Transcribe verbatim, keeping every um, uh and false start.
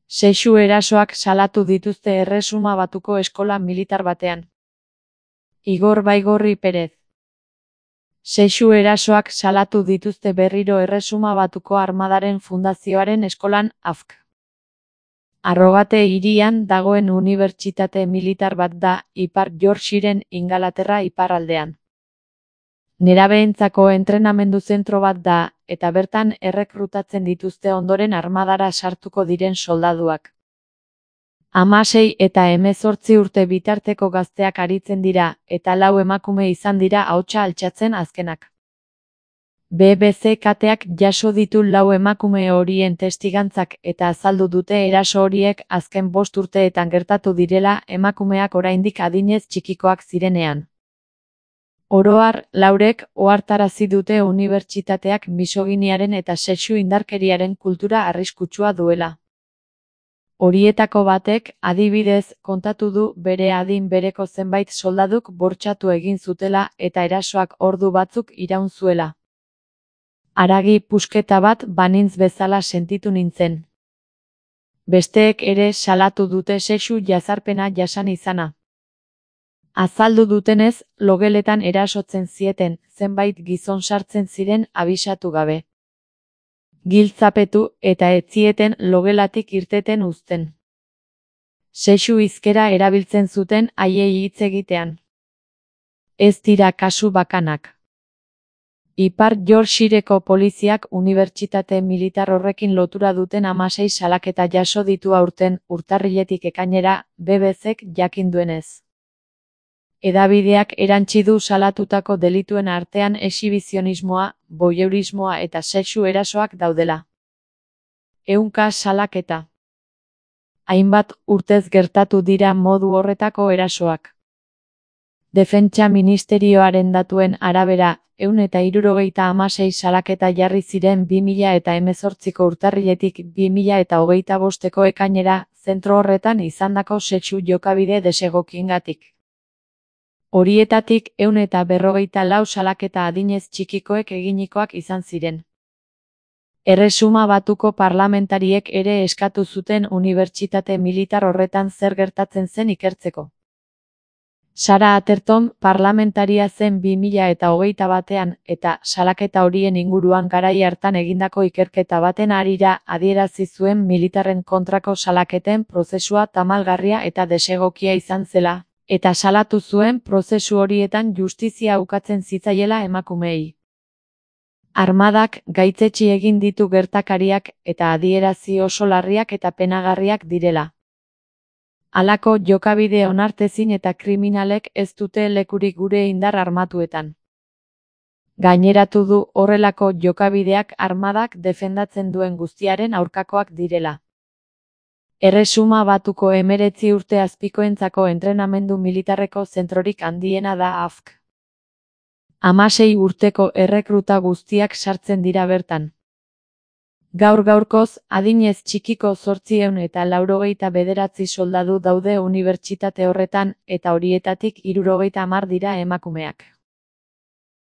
Sexu erasoak salatu dituzte Erresuma Batuko eskola militar batean. Igor Baigorri Perez. Sexu erasoak salatu dituzte berriro Erresuma Batuko Armadaren Fundazioaren eskolan, A F K. Arrogate hirian dagoen unibertsitate militar bat da, Ipar Yorkshireen Ingalaterra iparraldean. Nerabeentzako entrenamendu zentro bat da, eta bertan errekrutatzen dituzte ondoren armadara sartuko diren soldaduak. Hamasei eta hemezortzi urte bitarteko gazteak aritzen dira, eta lau emakume izan dira ahotsa altxatzen azkenak. B B C kateak jaso ditu lau emakume horien testigantzak eta azaldu dute eraso horiek azken bost urteetan gertatu direla emakumeak oraindik adinez txikikoak zirenean. Oro har, laurek ohartarazi dute unibertsitateak misoginiaren eta sexu indarkeriaren kultura arriskutsua duela. Horietako batek, adibidez, kontatu du bere adin bereko zenbait soldaduk bortxatu egin zutela eta erasoak ordu batzuk iraun zuela. Haragi pusketa bat banintz bezala sentitu nintzen. Besteek ere salatu dute sexu jazarpena jasan izana. Azaldu dutenez, logeletan erasotzen zieten, zenbait gizon sartzen ziren abisatu gabe. Giltzapetu eta ez zieten logelatik irteten uzten. Sexu hizkera erabiltzen zuten haiei hitz egitean. Ez dira kasu bakanak. Ipar Yorkshireko poliziak unibertsitate militar horrekin lotura duten hamasei salaketa jaso ditu aurten, urtarriletik ekainera, B B Cek jakin duenez. Hedabideak erantsi du salatutako delituen artean exhibizionismoa, voyeurismoa eta sexu erasoak daudela. Ehunka salaketa. Hainbat urtez gertatu dira modu horretako erasoak. Defentsa ministerioaren datuen arabera, ehun eta hirurogeita hamasei salaketa jarri ziren bi mila eta hemezortziko urtarriletik bi mila eta hogeita bosteko ekainera, zentro horretan izandako sexu jokabide desegokiengatik. Horietatik ehun eta berrogeita lau salaketa adinez txikikoek eginikoak izan ziren. Erresuma Batuko parlamentariek ere eskatu zuten unibertsitate militar horretan zer gertatzen zen ikertzeko. Sara Atherton parlamentaria zen bi mila eta hogeita batean eta salaketa horien inguruan garai hartan egindako ikerketa baten harira adierazi zuen militarren kontrako salaketen prozesua tamalgarria eta desegokia izan zela, eta salatu zuen prozesu horietan justizia ukatzen zitzaiela emakumeei. Armadak gaitzetsi egin ditu gertakariak eta adierazi oso larriak eta penagarriak direla. Halako jokabide onartezin eta kriminalek ez dute lekurik gure indar armatuetan. Gaineratu du horrelako jokabideak armadak defendatzen duen guztiaren aurkakoak direla. Erresuma Batuko hemeretzi urte azpikoentzako entrenamendu militarreko zentrorik handiena da A F K. Hamasei urteko errekruta guztiak sartzen dira bertan. Gaur gaurkoz, adinez txikiko zortziehun eta laurogeita bederatzi soldadu daude unibertsitate horretan, eta horietatik hirurogeita hamar dira emakumeak.